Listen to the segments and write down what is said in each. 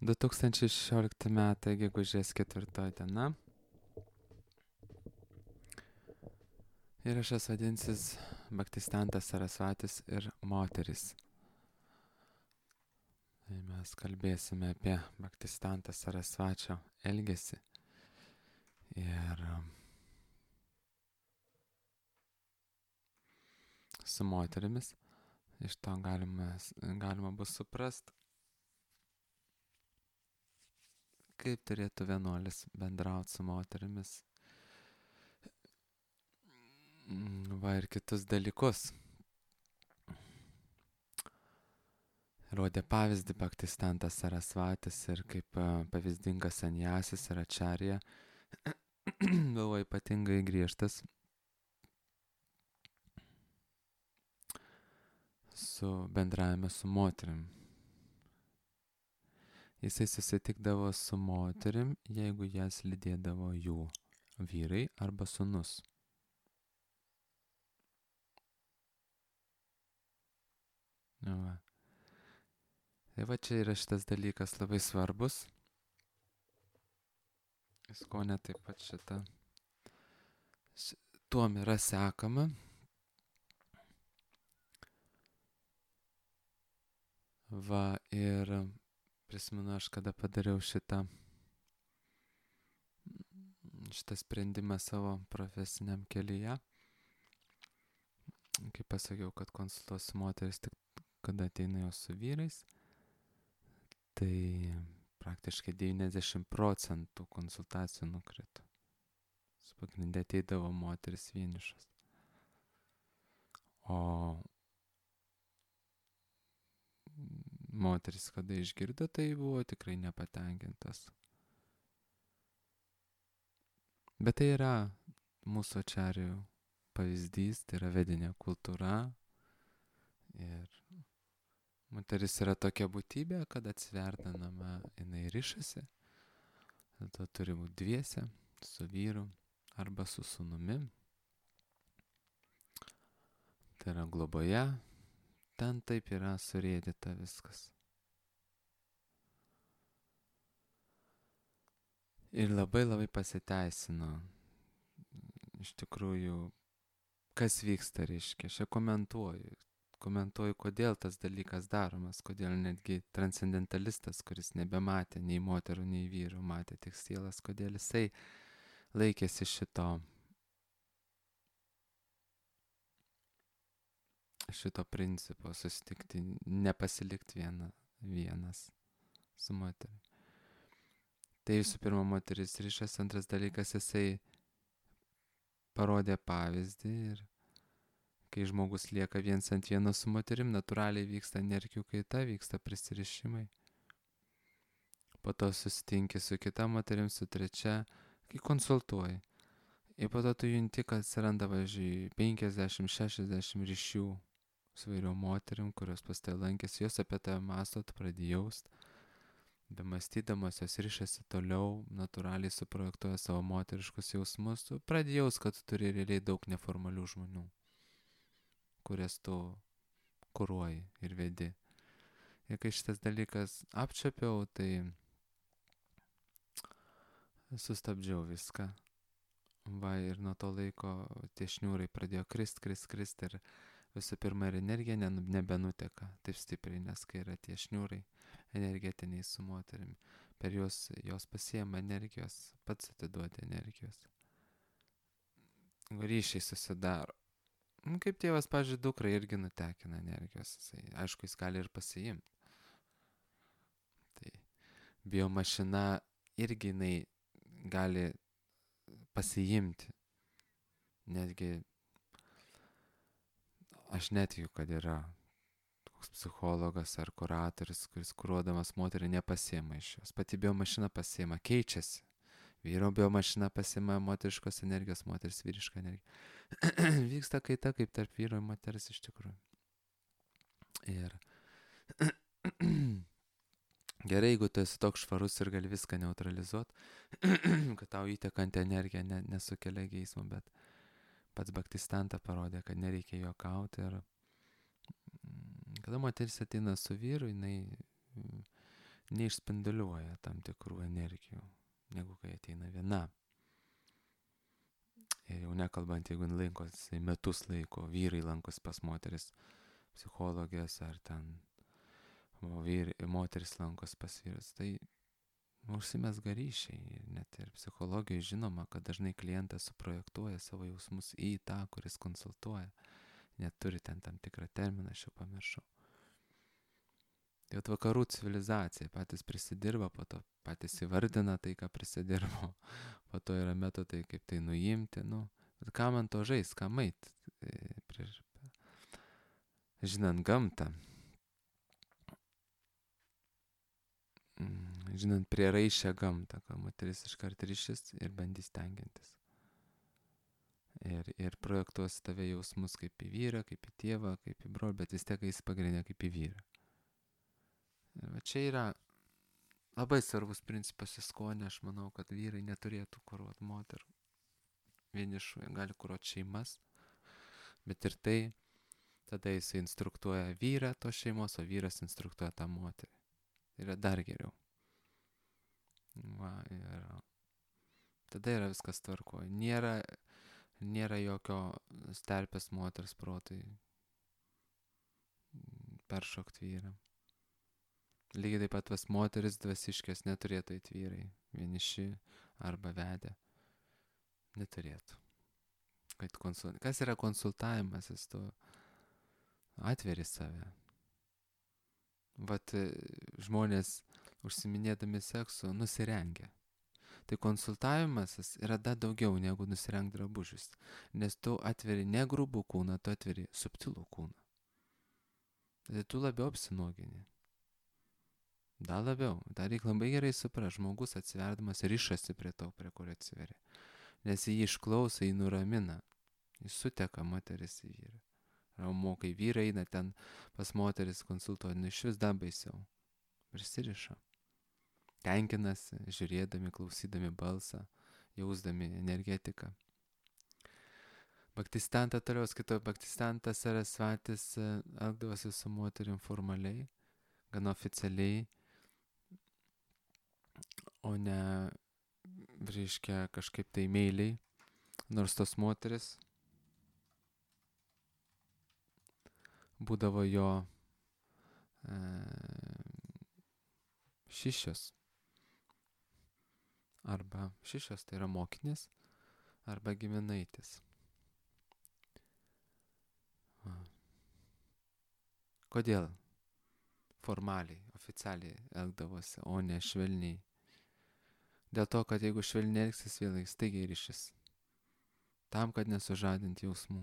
2016 metai, gegužės 4 diena. Įrašas vadinsis Bhaktistantas Sarasvatis ir moteris. Tai mes kalbėsime apie Bhaktistantą Sarasvačio elgesį. Ir su moterimis. Iš to galima bus suprast, kaip turėtų vienuolis bendrauti su moterimis. Va ir kitus dalykus. Rodė pavyzdį Bhaktistantas Sarasvatis ir kaip pavyzdingas sanjasis ir ačarija buvo ypatingai griežtas su bendravime su moterim. Jisai susitikdavo su moterim, jeigu jas lydėdavo jų vyrai arba sūnus. Va. Tai va čia yra šitas dalykas labai svarbus. Iskonė taip pat tuom yra sekama. Va ir prisimenu aš, kada padariau šitą sprendimą savo profesiniam kelyje. Kaip pasakiau, kad konsultuosiu moteris tik kada ateina jos su vyrais. Tai praktiškai 90% konsultacijų nukrito. Su pagrindė ateidavo moteris vienišas. O moteris, kada išgirdo, tai buvo tikrai nepatenkintas. Bet tai yra mūsų ačarijų pavyzdys, tai yra vedinė kultūra. Ir moteris yra tokia būtybė, kad atsiverdinama jinai rišasi. Dėl to turi būti dviese, su vyru arba su sūnumi. Tai yra globoje. Ten taip yra surėdyta viskas. Ir labai pasiteisino. Iš tikrųjų, kas vyksta, reiškia. Aš komentuoju, kodėl tas dalykas daromas, kodėl netgi transcendentalistas, kuris nebematė nei moterų, nei vyrų, matė tik sielas, kodėl jisai laikėsi šito principo, susitikti, nepasilikti vienas su moterimi. Tai visų pirma moteris ryšas, antras dalykas, jisai parodė pavyzdį ir kai žmogus lieka viens ant vieno su moterim, natūraliai vyksta energijų kaita, vyksta prisirišimai. Po to susitinki su kita moterim, su trečia, kai konsultuoji. Ir po to tu junti, kad atsiranda, važiuoju, 50-60 ryšių su vairiom moterim, kurios pas tai lankėsi, jos apie tave mąsto, tu pradėjai jaust. Bemąstydamas jos ryšasi toliau, natūraliai suprojektuoja savo moteriškus jausmus, tu pradėjai jaust, kad tu turi realiai daug neformalių žmonių, kurias tu kuruoji ir vedi. Ir kai šitas dalykas apčiapiau, tai sustabdžiau viską. Va, ir nuo to laiko tie šniūrai pradėjo krist ir visų pirma ir energija nebenuteka taip stipriai, nes kai yra tie šniūrai energetiniai su moterimi, per juos jos pasiema energijos, pats atiduoti energijos. Ryšiai susidaro. Kaip tėvas, pavyzdžiui, dukrai irgi nutekina energijos, aišku, jis gali ir pasiimti. Tai biomašina irgi jinai gali pasiimti. Netgi aš netikiu, kad yra koks psichologas ar kuratorius, kuris kuruodamas moterį nepasiema iš jos. Pati biomašina pasiema, keičiasi. Vyro biomašina pasiema moteriškos energijos, moteris vyrišką energiją. Vyksta kaita kaip tarp vyro ir moteris iš tikrųjų. Ir gerai, jeigu tu esi toks švarus ir gali viską neutralizuoti, kad tau įtekanti energija nesukelia geismo, bet pats Bhaktistanta parodė, kad nereikia juokauti. Ir kada moteris ateina su vyru, jinai neišspinduliuoja tam tikrų energijų, negu kai ateina viena. Ir jau nekalbant, jeigu lankosi metus laiko, vyrai lankosi pas moteris psichologės, ar ten moteris lankosi pas vyrus, tai užsimezga ryšiai. Ir net ir psichologijoje žinoma, kad dažnai klientas suprojektuoja savo jausmus į tą, kuris konsultuoja. Net turi ten tam tikrą terminą, aš jau pamiršau. Tai vakarų civilizacija patys prisidirba, po to patys įvardina tai, ką prisidirbo, po to yra metodai, kaip tai nuimti, bet ką man to žais, ką mait, žinant gamtą, žinant prieraišę gamtą, kad moteris iškart ryšis ir bandys tenkintis. Ir projektuos tave jausmus kaip į vyrą, kaip į tėvą, kaip į brolį, bet vis tiek jis pagrindė kaip į vyrą. Ir va čia yra labai svarbus principas į skonį. Aš manau, kad vyrai neturėtų kuruoti moterų. Vienišų, jie gali kuruoti šeimas, bet ir tai, tada jis instruktuoja vyrą tos šeimos, o vyras instruktuoja tą moterį. Tai yra dar geriau. Va, ir tada yra viskas tvarkoje. Nėra jokio sterpės moters protui peršokti vyrą. Lygiai taip pat vas moteris dvasiškės neturėtų eit vyrai, vieniši arba vedę. Neturėtų. Kas yra konsultavimas, jis tu atveri save. Vat žmonės užsiminėdami seksu nusirengia. Tai konsultavimas yra dar daugiau negu nusirengt drabužius, nes tu atveri ne grubų kūną, tu atveri subtilų kūną. Tai tu labiau apsinuogini. Dar labiau. Dar reikia labai gerai suprast, žmogus atsiverdamas rišasi prie to, prie kurio atsiveri. Nes jį išklauso, jį nuramina. Jis suteka moteris į vyrą. Ramu, kai vyrai eina ten pas moteris konsultuoti, iš vis dar baisiau. Prisiriša. Tenkinasi, žiūrėdami, klausydami balsą, jausdami energetiką. Bhaktisiddhanta toliau skaito, Bhaktisiddhanta Sarasvatis elgdavosi su moterim formaliai, gana oficialiai, o ne, reiškia, kažkaip tai meiliai, nors tos moteris būdavo jo šišios. Arba šišios, tai yra mokinės, arba giminaitis. Kodėl formaliai, oficialiai elgdavosi, o ne švelniai? Dėl to, kad jeigu švelniai elgsis, vėl staigiai ryšis. Tam, kad nesužadinti jausmų.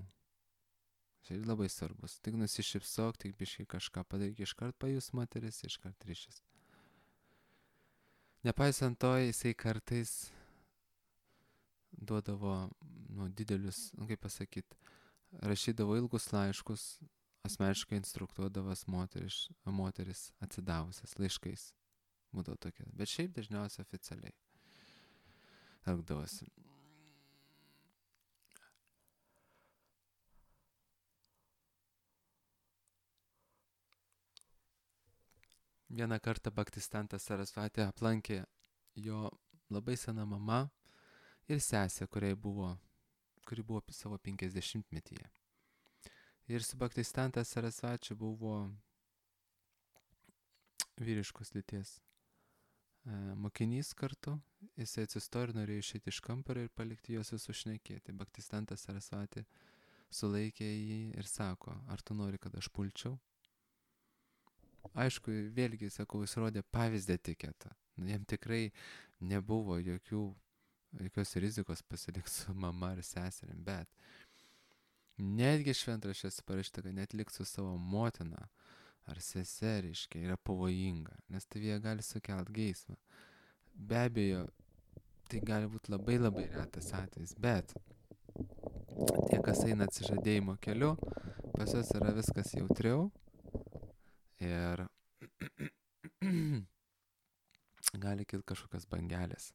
Tai labai svarbus. Tik nusišypsok, tik biškai kažką padaryk, iškart pajus moteris, iškart ryšis. Nepaisant to, jisai kartais duodavo didelius, kaip pasakyti, rašydavo ilgus laiškus, asmeniškai instruktuodavas moteris atsidavusias laiškais. Būdavo tokia. Bet šiaip dažniausiai oficialiai elgdavosi. Vieną kartą Bhaktisiddhanta Sarasvati aplankė jo labai sena mama ir sesė, kuri buvo savo 50-metyje. Ir su Bhaktisiddhanta Sarasvati buvo vyriškos lyties mokinys kartu. Jisai atsistojo ir norėjo išeiti iš kambario ir palikti juos visus šnekėti. Bhaktisiddhanta Sarasvati sulaikė jį ir sako, ar tu nori, kad aš pulčiau? Aišku, vėlgi, sakau, jis rodė pavyzdį etiketą. Jam tikrai nebuvo jokios rizikos pasilikti su mama ar seserim, bet netgi šventraščiuose parašyta, kad net likti su savo motina ar seseriškai yra pavojinga, nes tavyje gali sukelt geismą. Be abejo, tai gali būti labai labai retas atvejis, bet tie, kas eina atsižadėjimo keliu, pas juos yra viskas jautriau. Ir gali kilti kažkokios bangelės,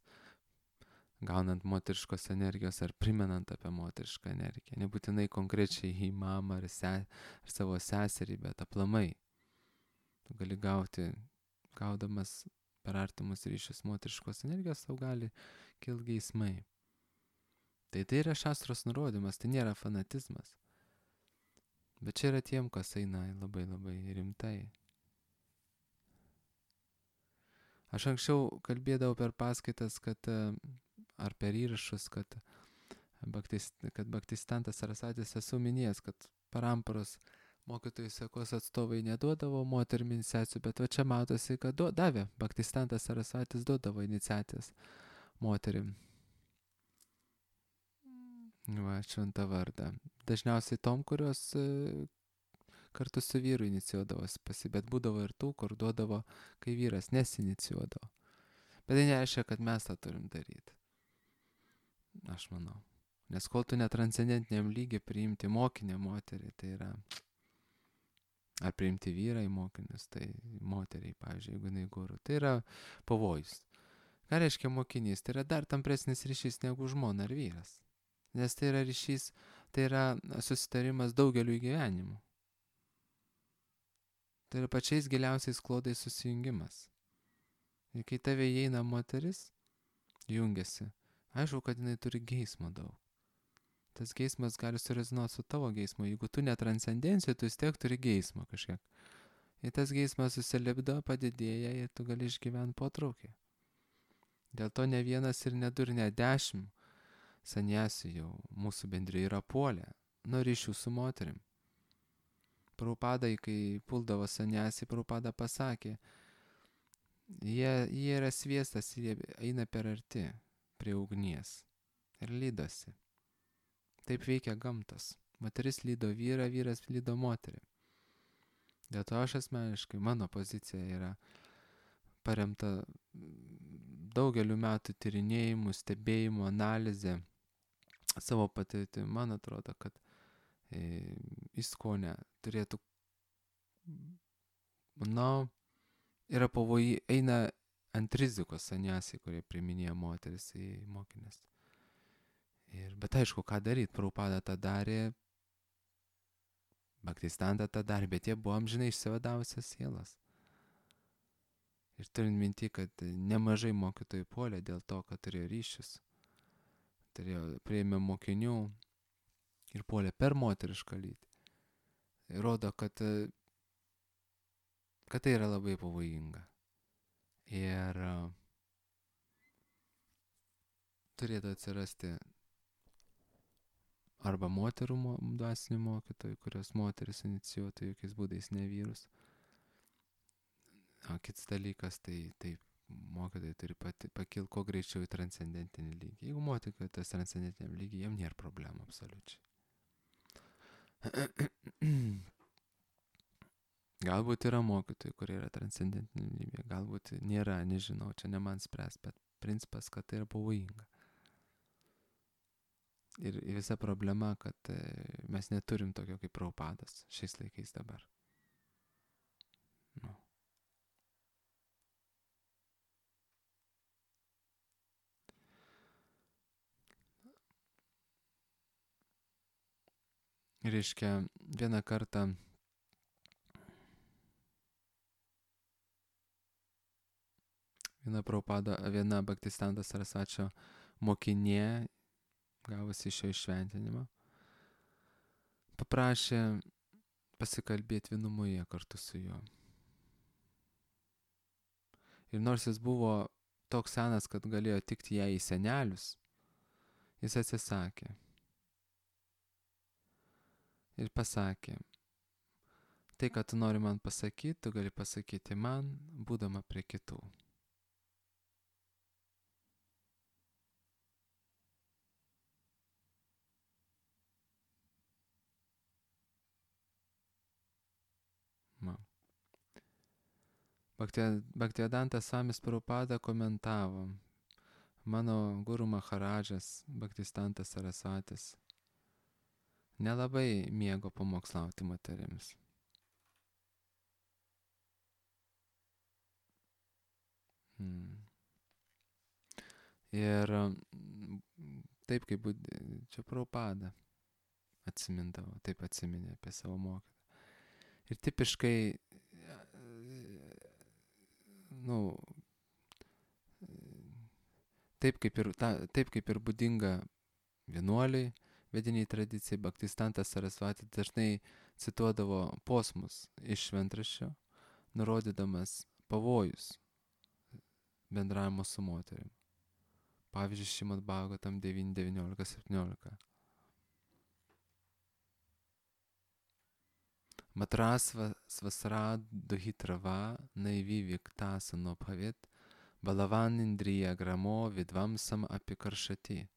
gaunant moteriškos energijos ar primenant apie moterišką energiją. Nebūtinai konkrečiai į mamą ar savo seserį, bet aplamai. Tu gali gaudamas per artimus ryšius moteriškos energijos tau gali kilti geismai. Tai yra šastros nurodymas, tai nėra fanatizmas. Bet čia yra tiem, kas eina labai labai rimtai. Aš anksčiau kalbėdavau per paskaitas, ar per įrašus, kad Bhaktistantas Sarasatis esu minėjęs, kad paramparos mokytojų sekos atstovai neduodavo moterim iniciacijų, bet va čia matosi, kad davė. Bhaktistantas Sarasatis duodavo iniciacijas moterim. Va, šventą vardą. Dažniausiai tom, kurios kartu su vyru inicijuodavosi, bet būdavo ir tų, kur duodavo, kai vyras nesinicijuodavo. Bet tai nereiškia, kad mes tą turim daryti. Aš manau. Nes kol tu netranscendentiniam lygiai priimti mokinę moterį, tai yra, ar priimti vyrą į mokinius, tai moteriai, pavyzdžiui, jeigu jinai guru, tai yra pavojus. Ką reiškia mokinys? Tai yra dar tampresnis ryšys negu žmona ar vyras. Nes tai yra ryšys, tai yra susitarimas daugeliu gyvenimų. Tai yra pačiais giliausiais klodais susijungimas. Ir kai tave įeina moteris, jungiasi, aišku, kad jinai turi geismo daug. Tas geismas gali surezonuoti su tavo geismu. Jeigu tu netranscendencijai, tu vis tiek turi geismo kažkiek. Ir tas geismas susilipdo, padidėja ir tu gali išgyventi potraukį. Dėl to ne vienas ir ne du ir ne 10 sanjasių jau mūsų bendriai yra puolę nuo ryšių su moterim. Prabhupadai, kai puldavo sanjasiai, Prabhupada pasakė, jie yra sviestas, jie eina per arti prie ugnies ir lydosi. Taip veikia gamtos. Moteris lydo vyrą, vyras lydo moterį. Dėl to aš asmeniškai, mano pozicija yra paremta daugeliu metų tyrinėjimų, stebėjimų, analizė, savo patirtimi. Man atrodo, kad ISKCONE turėtų, yra pavojai, eina ant rizikos sanjasiai, kurie priiminėja moteris į mokinės. Bet aišku, ką daryti, Prabhupada tą darė, Bhaktistanta tą darė, bet jie buvo amžinai išsivadavusios sielos. Ir turint minti, kad nemažai mokytojų puolė dėl to, kad turėjo ryšius, priėmė mokinių ir puolė per moterišką lytį. Rodo, kad tai yra labai pavojinga. Ir turėtų atsirasti arba moterų dvasinių mokytojų, kurios moteris inicijuotų jokiais būdais ne vyrus. O kitas dalykas, tai mokytojai turi pakilti kuo greičiau į transcendentinį lygį. Jeigu mokytojai tas transcendentiniam lygiai, jam nėra problemų absoliučiai. Galbūt yra mokytojai, kurie yra transcendentiniam lygiai, galbūt nėra, nežinau, čia ne man spręs, bet principas, kad tai yra pavojinga. Ir visa problema, kad mes neturim tokio kaip Prabhupadas šiais laikais dabar. Nu. Reiškia, vieną kartą viena Bhaktistanto Sarasačio mokinė, gavusi šio iššventinimą, paprašė pasikalbėti vienumoje kartu su juo. Ir nors jis buvo toks senas, kad galėjo tikti ją į senelius, jis atsisakė. Ir pasakė, tai, ką tu nori man pasakyti, tu gali pasakyti man, būdama prie kitų. Bhaktivedantas Swamis Prabhupada komentavo, mano guru Maharadžas Bhaktistantas Sarasvatis nelabai mėgo pamokslauti moterims. Ir taip kaip čia Prabhupada atsimindavo, taip atsiminė apie savo mokytoją. Ir tipiškai, taip kaip ir būdinga vienuoliai, vediniai tradicijai, Bhaktistantas Sarasvati dažnai cituodavo posmus iš šventraščio, nurodydamas pavojus bendravimo su moterim. Pavyzdžiui, Šrimad Bhagavatam 9.19.17. Matrasva svasraduhitrava naiviviktasano bhavit balavan indriya gramo vidvamsam apikaršati.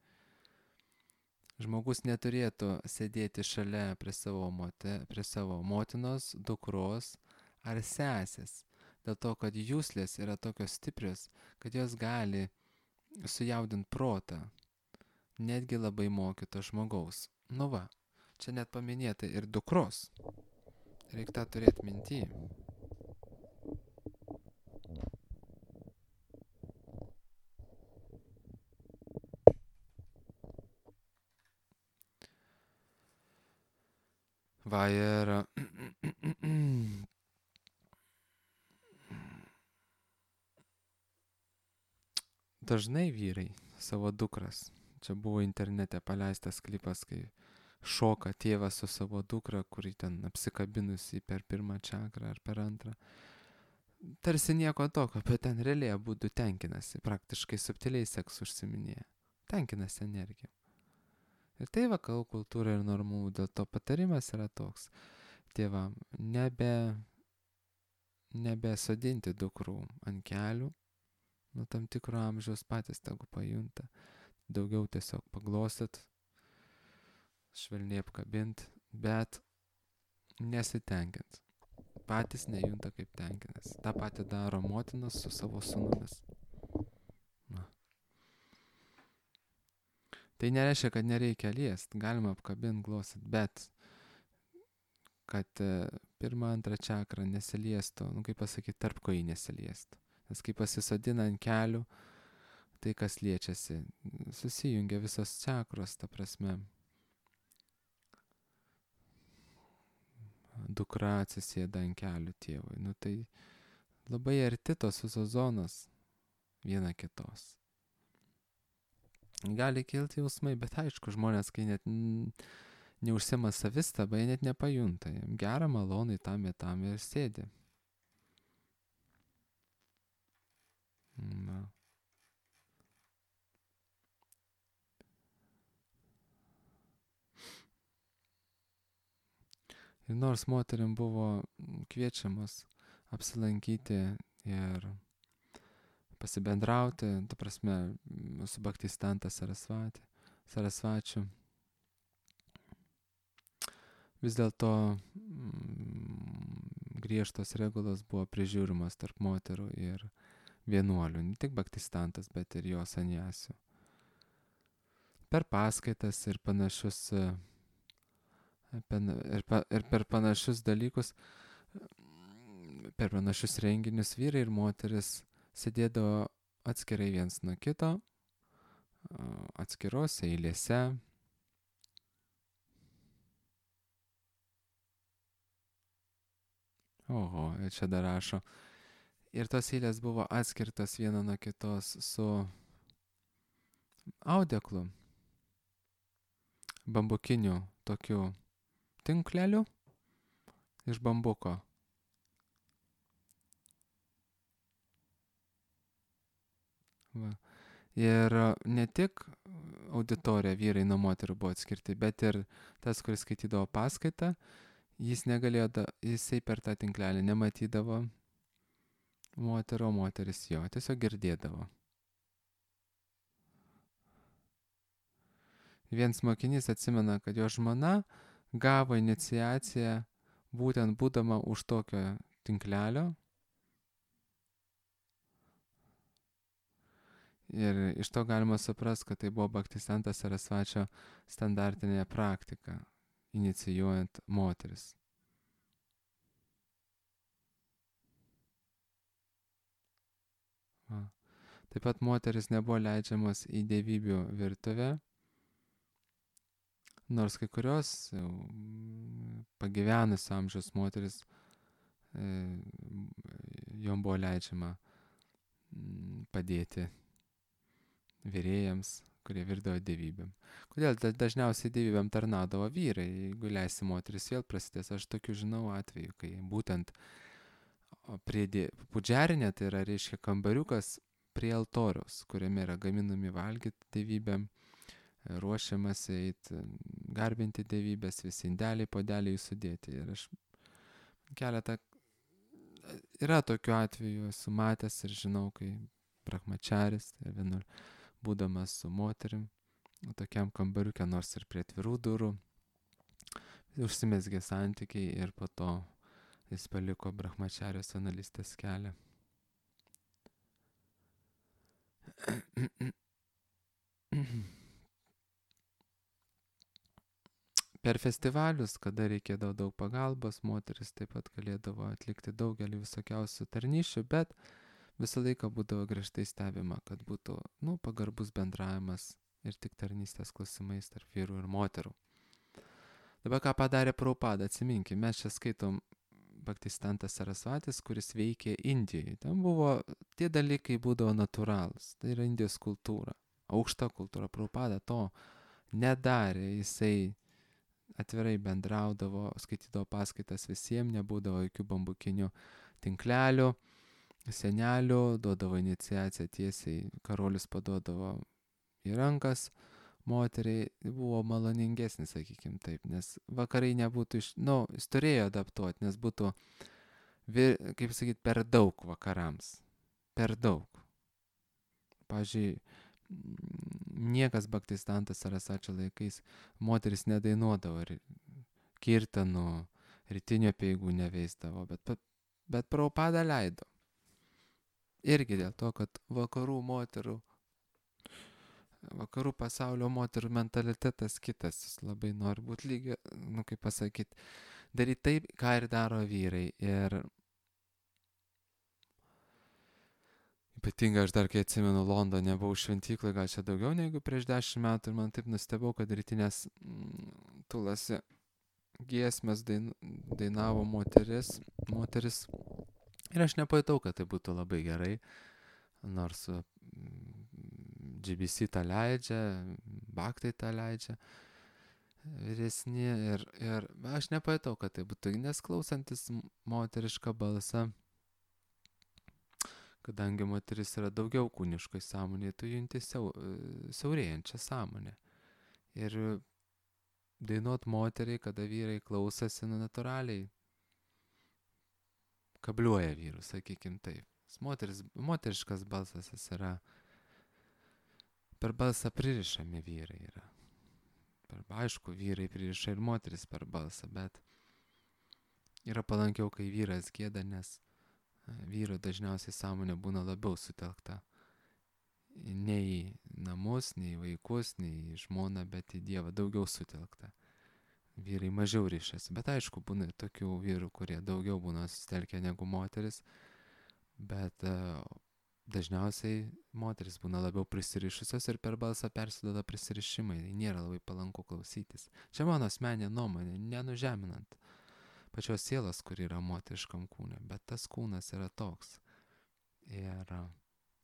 Žmogus neturėtų sėdėti šalia prie savo motinos, dukros ar sesės, dėl to, kad juslės yra tokios stiprios, kad jos gali sujaudinti protą, netgi labai mokyto žmogaus. Nu va, čia net paminėta ir dukros. Reikia tą turėti minty. Va ir dažnai vyrai savo dukras, čia buvo internete paleistas klipas, kai šoka tėvas su savo dukra, kuri ten apsikabinusi per pirmą čakrą ar per antrą. Tarsi nieko tokio, bet ten realiai abudu tenkinasi, praktiškai subtiliai seksu užsiminėja. Tenkinasi energija. Ir tai vakarų kultūra ir normų, dėl to patarimas yra toks. Tėvam, nebesodinti dukrų ant kelių, nuo tam tikro amžiaus patys tegu pajunta, daugiau tiesiog paglostyt, švelniai apkabint, bet nesitenkint. Patys nejunta kaip tenkinas. Ta pati daro motinas su savo sūnumis. Na. Tai nereiškia, kad nereikia liest, galima apkabint, glostyt, bet kad pirmą, antrą čakrą nesiliestų, kaip pasakyti, tarp kojų nesiliestų. Nes kai pasisodina ant kelių, tai kas liečiasi, susijungia visos čakros, ta prasme. Dukra atsisėda ant kelių tėvui. Nu tai labai arti tos visos zonos viena kitos. Gali kilti jausmai, bet aišku, žmonės, kai net neužsima savistaba, jie net nepajunta. Gera, malonai, tam ir sėdi. Na. Ir nors moterim buvo kviečiamas apsilankyti ir pasibendrauti, ta prasme, su Bhaktistanta Sarasvačiu, vis dėlto griežtos regulos buvo prižiūrimas tarp moterų ir vienuolių, ne tik Bhaktistantas, bet ir jo sanjasių. Per paskaitas ir panašius ir per panašius dalykus, per panašius renginius vyrai ir moteris sėdėdavo atskirai viens nuo kito, atskirose eilėse. Oho, ir čia dar rašo. Ir tos eilės buvo atskirtos viena nuo kitos su audeklu, bambukiniu tokiu tinkleliu iš bambuko. Va. Ir ne tik auditorija vyrai nuo moterų buvo atskirti, bet ir tas, kuris skaitydavo paskaitą, jisai per tą tinklelį nematydavo moterų, o moteris jo, tiesiog girdėdavo. Vienas mokinys atsimena, kad jo žmona gavo iniciaciją būtent būdama už tokio tinklelio. Ir iš to galima suprast, kad tai buvo Bhaktistantas Sarasvačio standartinė praktika, inicijuojant moteris. Va. Taip pat moteris nebuvo leidžiamos į dievybių virtuvę, nors kai kurios pagyvenusio amžiaus moteris, jom buvo leidžiama padėti virėjams, kurie virdavo dievybėm. Kodėl dažniausiai dievybėm tarnaudavo vyrai, jeigu leisi moteris vėl prasidės. Aš tokių žinau atveju, kai būtent prie pudžerinė, tai yra, reiškia, kambariukas prie altoriaus, kuriame yra gaminami valgyti dievybėm, ruošiamasi eiti, garbinti dievybės, visi indeliai, podeliai sudėti. Ir aš keletą, yra tokių atvejų, esu matęs ir žinau, kai brahmačaris, tai vienur būdamas su moterim, tokiam kambariuke, nors ir prie atvirų durų, užsimezgė santykiai ir po to jis paliko brahmačarijos analistės kelią. Per festivalius, kada reikėdavo daug pagalbos, moteris taip pat galėdavo atlikti daugelį visokiausių tarnyšių, bet visą laiką būdavo griežtai stebima, kad būtų, pagarbus bendravimas ir tik tarnystės klausimais tarp vyrų ir moterų. Dabar ką padarė Prabhupada, atsiminkime, mes čia skaitom Bhaktistantas Sarasvatis, kuris veikė Indijoje. Ten buvo, tie dalykai būdavo natūralūs, tai yra Indijos kultūra, aukšta kultūra. Prabhupada to nedarė, jisai atvirai bendraudavo, skaitydavo paskaitas visiems, nebūdavo jokių bambukinių tinklelių, senelių, duodavo iniciaciją tiesiai, karolius paduodavo į rankas moteriai, buvo maloningesnis, sakykime taip, nes vakarai nebūtų jis turėjo adaptuoti, nes būtų, kaip sakyti, per daug vakarams, per daug. Pavyzdžiui, niekas Bhaktistantas Sarasvačio laikais moteris nedainuodavo ir kirtanų, rytinio apeigų neveisdavo, bet Prabhupada leido. Irgi dėl to, kad vakarų pasaulio moterų mentalitetas kitas, jis labai nori būti lygiai, kaip pasakyti, daryti taip, ką ir daro vyrai. Ir ypatingai aš dar, kai atsimenu, Londone buvau šventyklai, gal čia daugiau negu prieš 10 metų, ir man taip nustebau, kad rytinės tulasi giesmės dainavo moteris. Ir aš nepajutau, kad tai būtų labai gerai, nors GBC tą leidžia, Bhaktai tą leidžia, vyresni, ir aš nepajutau, kad tai būtų, nes klausantis moterišką balsą, kadangi moteris yra daugiau kūniškai sąmonė, tu junti siaurėjančią sąmonę. Ir dainuot moteriai, kada vyrai klausosi, natūraliai kabliuoja vyrus, sakykim taip. Moteriškas balsas jis yra, per balsą pririšami vyrai yra. Aišku, vyrai pririša ir moteris per balsą, bet yra palankiau, kai vyras gieda, nes vyro dažniausiai sąmonė būna labiau sutelkta. Ne į namus, ne į vaikus, ne į žmoną, bet į Dievą daugiau sutelkta. Vyrai mažiau ryšasi, bet aišku, būna tokių vyrų, kurie daugiau būna susitelkę negu moteris, bet dažniausiai moteris būna labiau prisirišusios ir per balsą persiduoda prisirišimai, tai nėra labai palanku klausytis. Čia mano asmeninė nuomonė, nenužeminant pačios sielos, kur yra moteriškam kūne, bet tas kūnas yra toks. Ir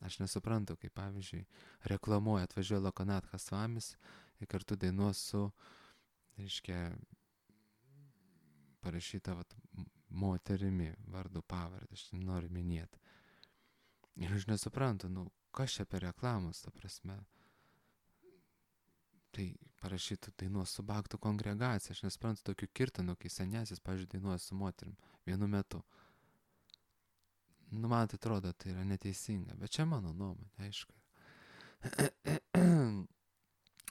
aš nesuprantu, kaip pavyzdžiui reklamuoja, atvažiuoja Lokanatha Svamis ir kartu dainuos su, reiškia, parašyta moterimi vardu pavardę, aš noriu minėti. Ir aš nesuprantu, kas čia per reklamos, ta prasme. Tai parašytų dainuos su Bhaktų kongregacija, aš nesuprantu tokių kirtanų, kai senesis, pavyzdžiui, dainuoja su moterim vienu metu. Man tai atrodo, tai yra neteisinga, bet čia mano nuomonė, aišku.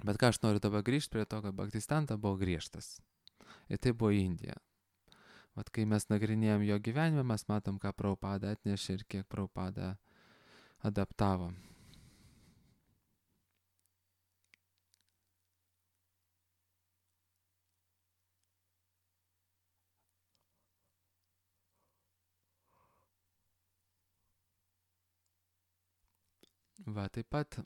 Bet ką aš noriu dabar grįžti prie to, kad Bhaktistanta buvo griežtas. Ir tai buvo Indija. Vat kai mes nagrinėjom jo gyvenimą, mes matom, ką Prabhupada atnešė ir kiek Prabhupada adaptavo. Va, taip pat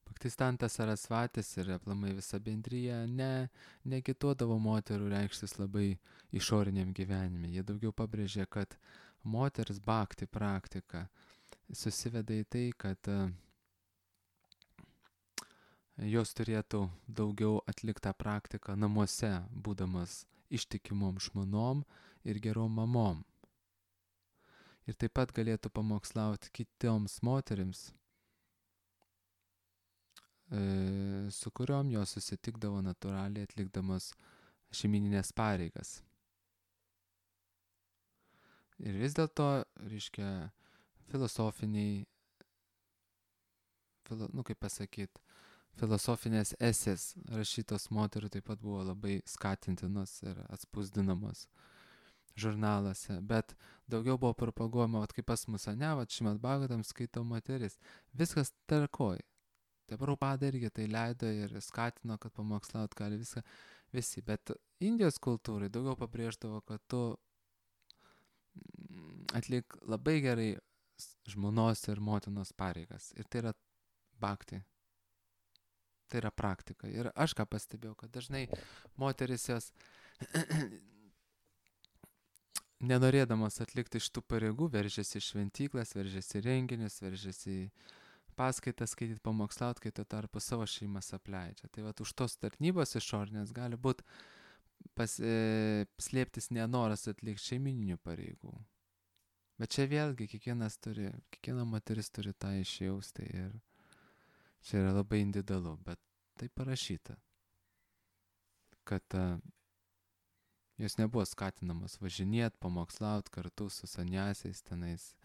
Bhaktistantas Sarasvatis ir aplamai visa bendrija neagituodavo moterų reikštis labai išoriniam gyvenime. Jie daugiau pabrėžė, kad moters bhakti praktika susiveda į tai, kad jos turėtų daugiau atliktą praktiką namuose, būdamas ištikimom žmonom ir gerom mamom. Ir taip pat galėtų pamokslauti kitoms moterims, su kuriom jos susitikdavo natūraliai atlikdamas šeimininės pareigas. Ir vis dėlto, reiškia, filosofiniai, filosofinės esės rašytos moterų taip pat buvo labai skatintinos ir atspausdinamos žurnaluose, bet daugiau buvo propaguojama, kaip pas mus, Šrimad Bhagavatam skaito moteris. Viskas tvarkoj. Tai Prabhupada irgi tai leido ir skatino, kad pamokslaut gali viską visi. Bet Indijos kultūrai daugiau pabrėždavo, kad tu atlik labai gerai žmonos ir motinos pareigas. Ir tai yra bhakti. Tai yra praktika. Ir aš ką pastebėjau, kad dažnai moteris jos nenorėdamas atlikti šitų pareigų, veržiasi į šventyklas, veržiasi į renginius, veržiasi į paskaitas skaityti, pamokslaut, kai tuo tarpu savo šeimas apleidžia. Tai už tos tarnybos išorinės gali būti slėptis nenoras atlikti šeimininių pareigų. Bet čia vėlgi kiekviena moteris turi tą išjausti ir čia yra labai individualu, bet tai parašyta, kad jos nebuvo skatinamas važinėti, pamokslaut kartu su saniasiais tenais,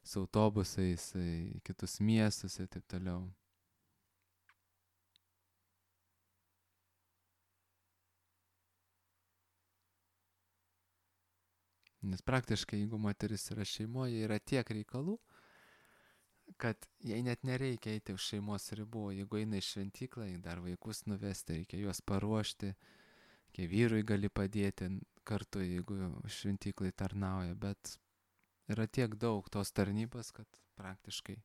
su autobusais į kitus miestus ir taip toliau. Nes praktiškai, jeigu moteris yra šeimoje, yra tiek reikalų, kad jai net nereikia eiti už šeimos ribų. Jeigu eina į šventyklą, dar vaikus nuvesti, reikia juos paruošti, kai vyrui gali padėti kartu, jeigu šventyklai tarnauja, bet yra tiek daug tos tarnybos, kad praktiškai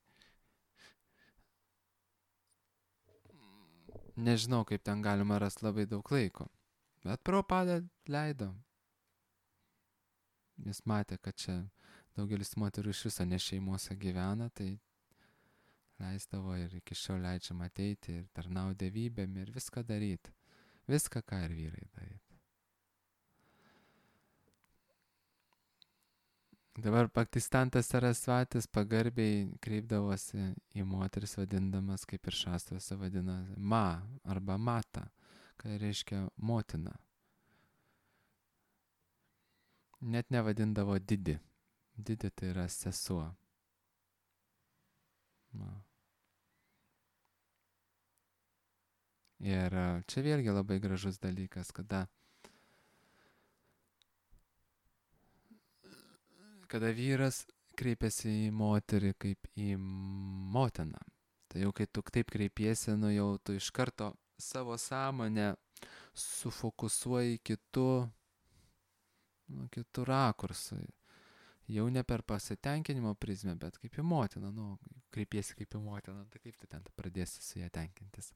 nežinau, kaip ten galima rasti labai daug laiko. Bet Prabhupada leido. Jis matė, kad čia daugelis moterų iš viso ne šeimose gyvena, tai leisdavo ir iki šiol leidžiama ateiti ir tarnauti dievybėm ir viską daryti. Viską, ką ir vyrai daryti. Dabar Bhaktistantas Sarasvatis pagarbiai kreipdavosi į moteris, vadindamas, kaip ir šastruose vadina, ma arba mata, kai reiškia motina. Net nevadindavo didi. Didi tai yra sesuo. Ir čia vėlgi labai gražus dalykas, kada vyras kreipiasi į moterį kaip į motiną. Tai jau kai tu taip kreipiesi, jau tu iš karto savo sąmonę sufokusuoji kitų rakursų. Jau ne per pasitenkinimo prizmę, bet kaip į motiną. Kreipiesi kaip į motiną, tai kaip tu ten pradėsi su ją tenkintis.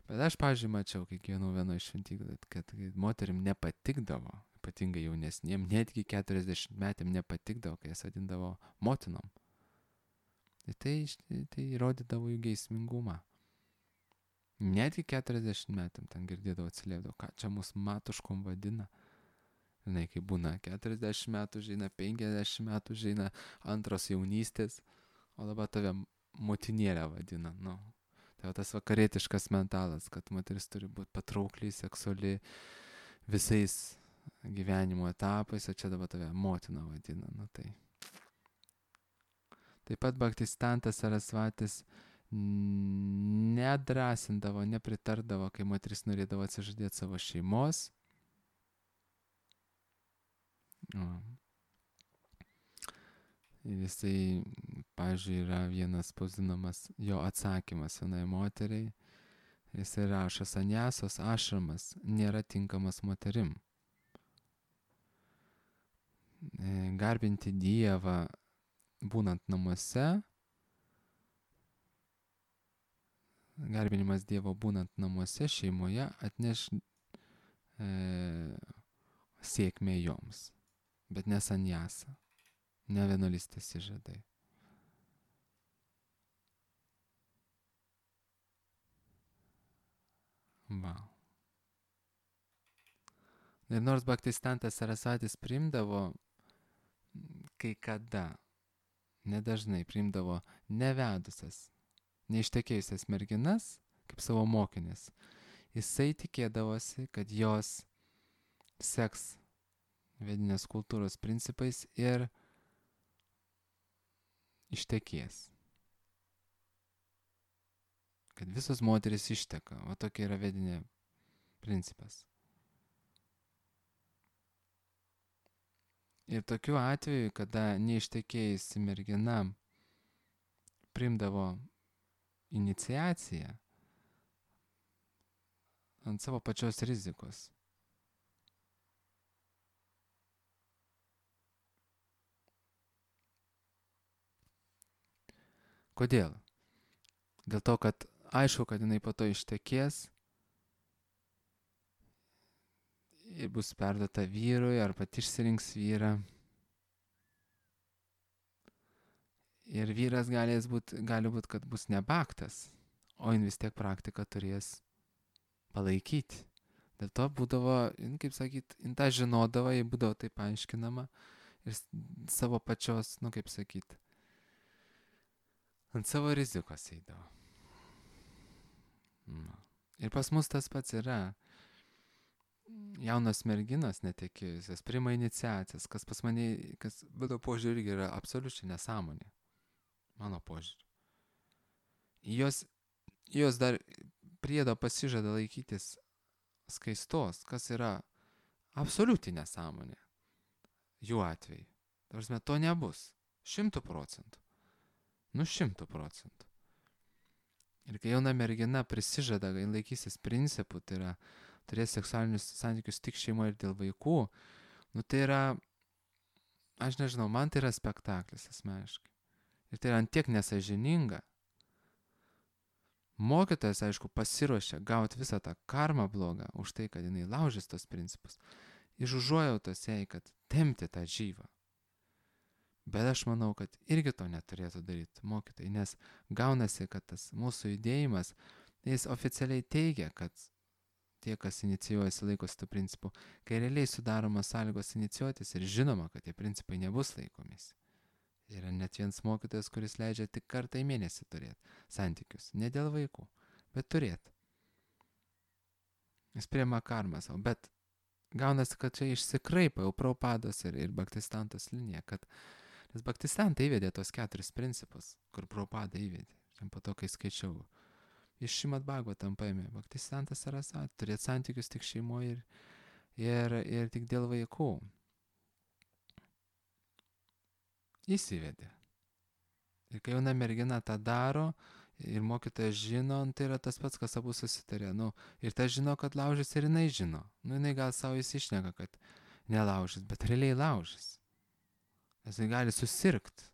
Bet aš, pavyzdžiui, mačiau, kai gyvenau vieno iš šventyklų, kad moterim nepatikdavo, ypatingai jaunesniem, netgi 40 metėm nepatikdavo, kai jas vadindavo motinom. Tai įrodydavo jų geismingumą. Netgi 40 metėm ten girdėdavo, atsiliepdavo, ką čia mus matuškom vadina. Žinai, kai būna 40 metų žina, 50 metų žina, antros jaunystės, o dabar tave motinėlę vadina. Tai tas vakarietiškas mentalas, kad moteris turi būti patraukliai, seksuali visais gyvenimo etapais, o čia dabar tave motina vadina. Tai. Taip pat Bhaktistantas Sarasvatis nedrasindavo, nepritardavo, kai moteris norėdavo atsižadėti savo šeimos. Ir jisai, pavyzdžiui, yra vienas spausdinamas jo atsakymas vienai moteriai. Jisai rašo, sanjasos ašramas nėra tinkamas moterim. Garbinti Dievą būnant namuose, garbinimas Dievo būnant namuose, šeimoje atneš sėkmę joms, bet ne sanjasą. ne vienuolystės įžadai. Va. Ir nors Bhaktistantas Sarasvatis priimdavo kai kada, nedažnai priimdavo nevedusias, neištekėjusias merginas kaip savo mokinės, jisai tikėdavosi, kad jos seks vedinės kultūros principais ir ištekės. Kad visos moteris išteka, o tokia yra vedinė principas. Ir tokiu atveju, kada neištekėjusi mergina priimdavo iniciaciją ant savo pačios rizikos. Kodėl? Dėl to, kad aišku, kad jinai po to ištekės ir bus perduota vyrui, ar pati išsirinks vyrą. Ir vyras gali būt, kad bus nebaktas, o jin vis tiek praktiką turės palaikyti. Dėl to būdavo, kaip sakyt, jin tą žinodavo, jai būdavo taip aiškinama ir savo pačios, kaip sakyt, ant savo rizikos eidavo. Ir pas mus tas pats yra. Jaunos merginos netekėjusios priima iniciacijas, kas pas mane, kas mano požiūrį irgi yra absoliučiai nesąmonė. Mano požiūrį. Jos dar priedo pasižada laikytis skaistos, kas yra absoliučiai nesąmonė. Jų atveju. Ta prasme, to nebus. 100%. 100%. Ir kai jauna mergina prisižada, kai laikysis principų, tai yra turės seksualinius santykius tik šeimoje ir dėl vaikų, tai yra, aš nežinau, man tai yra spektaklis asmeniškai. Ir tai yra antiek nesąžininga. Mokytojas, aišku, pasiruošia gauti visą tą karmą blogą už tai, kad jinai laužys tos principus. Iš užuojautos jai, kad tempti tą žyvą. Bet aš manau, kad irgi to neturėtų daryti mokytojai, nes gaunasi, kad tas mūsų judėjimas, jis oficialiai teigia, kad tie, kas inicijuojasi, laikosi tų principų, kai realiai sudaromos sąlygos inicijuotis ir žinoma, kad tie principai nebus laikomis. Yra net vienas mokytojas, kuris leidžia tik kartą į mėnesį turėti santykius. Ne dėl vaikų, bet turėti. Jis priima karmą savo, bet gaunasi, kad čia išsikraipa jau Prabhupados ir Bhaktistantos linija, nes Bhaktistantai įvedė tos 4 principus, kur Prabhupada įvedė. Šiandien po to, kai skaičiau, iš Šrimad Bhagavatam paėmė Bhaktistantas Sarasvati, turėti santykius tik šeimoje ir tik dėl vaikų. Įsivedė. Ir kai jauna mergina tą daro ir mokytojas žino, tai yra tas pats, kas abu susitarė. Ir ta žino, kad laužys ir jinai žino. Jinai gal savo įsišneka, kad nelaužys, bet realiai laužys. Nes jis gali susirgti.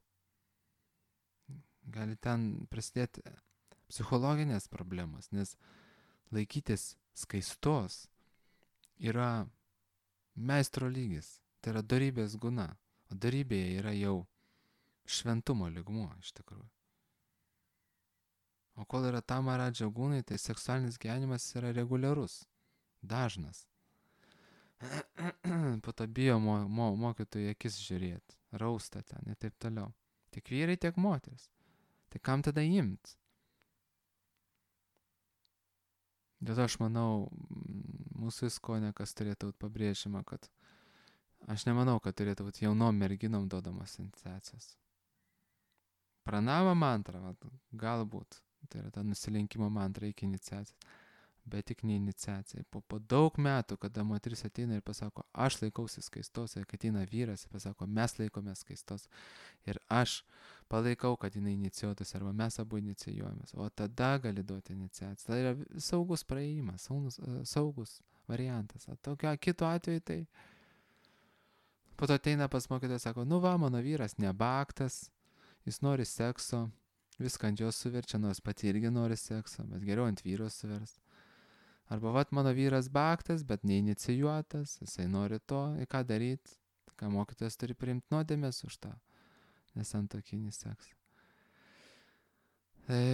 Gali ten prasidėti psichologinės problemos, nes laikytis skaistos yra meistro lygis, tai yra dorybės guna, o dorybėje yra jau šventumo lygmuo iš tikrųjų. O kol yra tamaradža gūnai, tai seksualinis gyvenimas yra reguliarus, dažnas. Po to bijo mokytojų akis žiūrėti, rausta ten ir taip toliau. Tiek vyrai, tiek moteris. Tai kam tada imt? Dėl to aš manau, mūsų įskonė, kas turėtų būti pabrėžima, kad aš nemanau, kad turėtų būti jaunom merginom duodamas iniciacijos. Pranava mantra, galbūt, tai yra ta nusilenkimo mantra iki iniciacijos, bet tik ne iniciacija. Po daug metų, kada moteris ateina ir pasako, aš laikausi skaistos, ir kad ateina vyras ir pasako, mes laikome skaistos, ir aš palaikau, kad jinai inicijuotus, arba mes abu inicijuojamės, o tada gali duoti iniciaciją. Tai yra saugus praėjimas, saugus variantas. O tokio kito atveju tai po to ateina pas mokytoją, sako, mano vyras nebaktas, jis nori sekso, viską ant jos suverčia, nors pati irgi nori sekso, bet geriau ant vyro suvers. Arba mano vyras baktas, bet neinicijuotas, jisai nori to, ką daryti, ką mokytojas turi priimti nuodėmės už tą nesantuokinį seksą.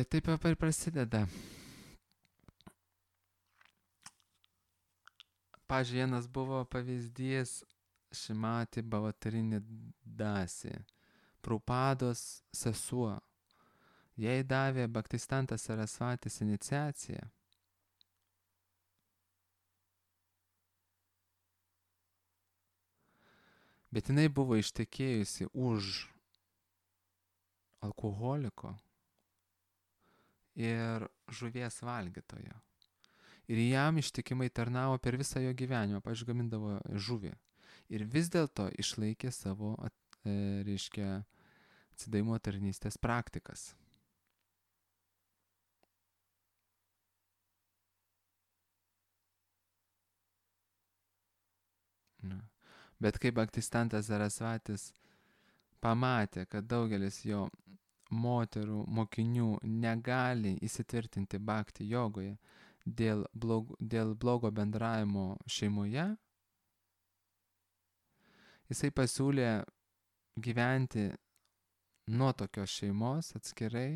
Taip ir prasideda. Pavyzdžiui, vienas buvo pavyzdys Šimati Bhavatarini Dasi, Prabhupados sesuo. Jai davė Bhaktistantas Sarasvatis iniciaciją. Bet jinai buvo ištekėjusi už alkoholiko ir žuvies valgytojo. Ir jam ištikimai tarnavo per visą jo gyvenimą, pavyzdžiui, gamindavo žuvį. Ir vis dėlto išlaikė savo, reiškia, atsidavimo tarnystės praktikas. Bet kai Bhaktistantas Sarasvatis pamatė, kad daugelis jo moterų, mokinių negali įsitvirtinti bhakti jogoje dėl blogo bendravimo šeimoje, jisai pasiūlė gyventi nuo tokios šeimos atskirai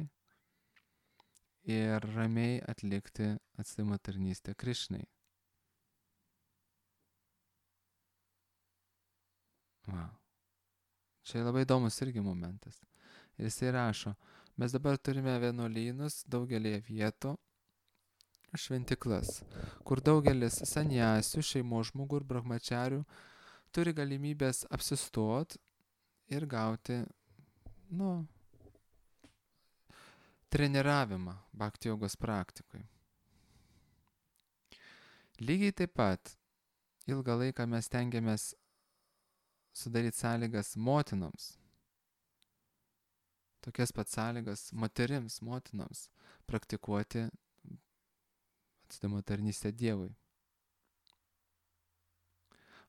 ir ramiai atlikti atsidavimo tarnystę Krišnai. Wow. Čia labai įdomus irgi momentas. Ir jisai rašo, mes dabar turime vienuolynus daugelį vietų, šventiklas, kur daugelis sanjasių, šeimos žmogų ir brahmacharių turi galimybės apsistot ir gauti, treniravimą bhakti jogos praktikui. Lygiai taip pat ilgą laiką mes tengiamės sudaryti sąlygas motinoms, tokias pat sąlygas motinoms praktikuoti atsidavimo tarnystę Dievui.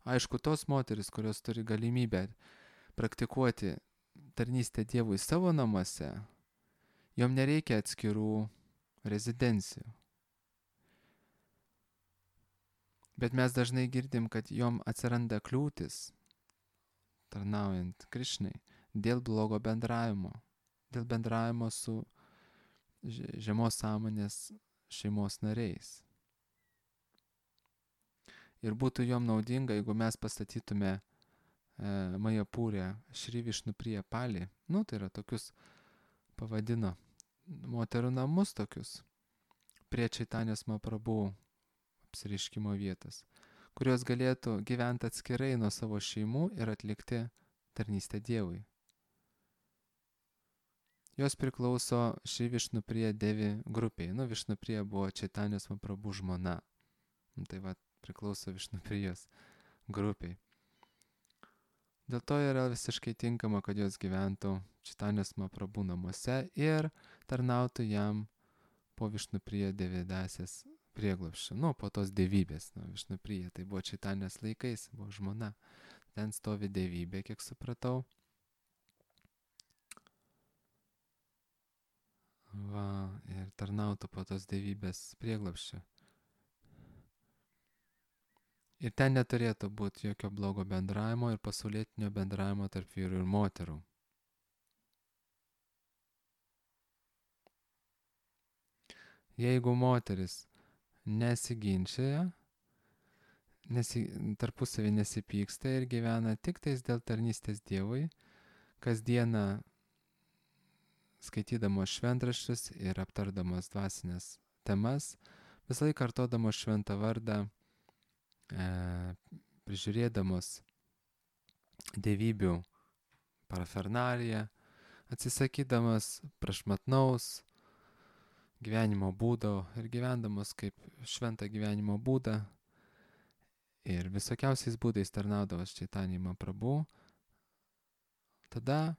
Aišku, tos moteris, kurios turi galimybę praktikuoti tarnystę Dievui savo namuose, jom nereikia atskirų rezidencijų. Bet mes dažnai girdim, kad jom atsiranda kliūtis tarnaujant Krišnai dėl blogo bendravimo, dėl bendravimo su žemos sąmonės šeimos nariais. Ir būtų jom naudinga, jeigu mes pastatytume Majapūrę Šri Višnupriją Palį, tai yra tokius, pavadino, moterų namus tokius, prie Čaitanės Mahaprabhu apsireiškimo vietas, kurios galėtų gyventi atskirai nuo savo šeimų ir atlikti tarnystę Dievui. Jos priklauso Šri Višnupriya Devi grupiai. Višnupriya buvo Čaitanės Mahaprabhu žmona. Tai va, priklauso Višnuprijos grupiai. Dėl to yra visiškai tinkama, kad jos gyventų Čaitanės Mahaprabhu namuose ir tarnautų jam po Višnupriya Devi Dasės prieglobsčio, po tos dievybės, Višnupriya, tai buvo Čaitanės laikais, buvo žmona, ten stovi dievybė, kiek supratau. Va, ir tarnautų po tos dievybės prieglobsčio. Ir ten neturėtų būti jokio blogo bendravimo ir pasaulietinio bendravimo tarp vyrų ir moterų. Jeigu moteris nesiginčia, tarpusavį nesipyksta ir gyvena tik tais dėl tarnystės Dievui, kasdieną skaitydamos šventraščius ir aptardamos dvasinės temas, visą laiką kartodamos šventą vardą, prižiūrėdamos dievybių parafernaliją, atsisakydamas prašmatnaus gyvenimo būdo ir gyvendamos kaip šventą gyvenimo būdą ir visokiausiais būdais tarnaudavas Čaitanijai Mahaprabhu, tada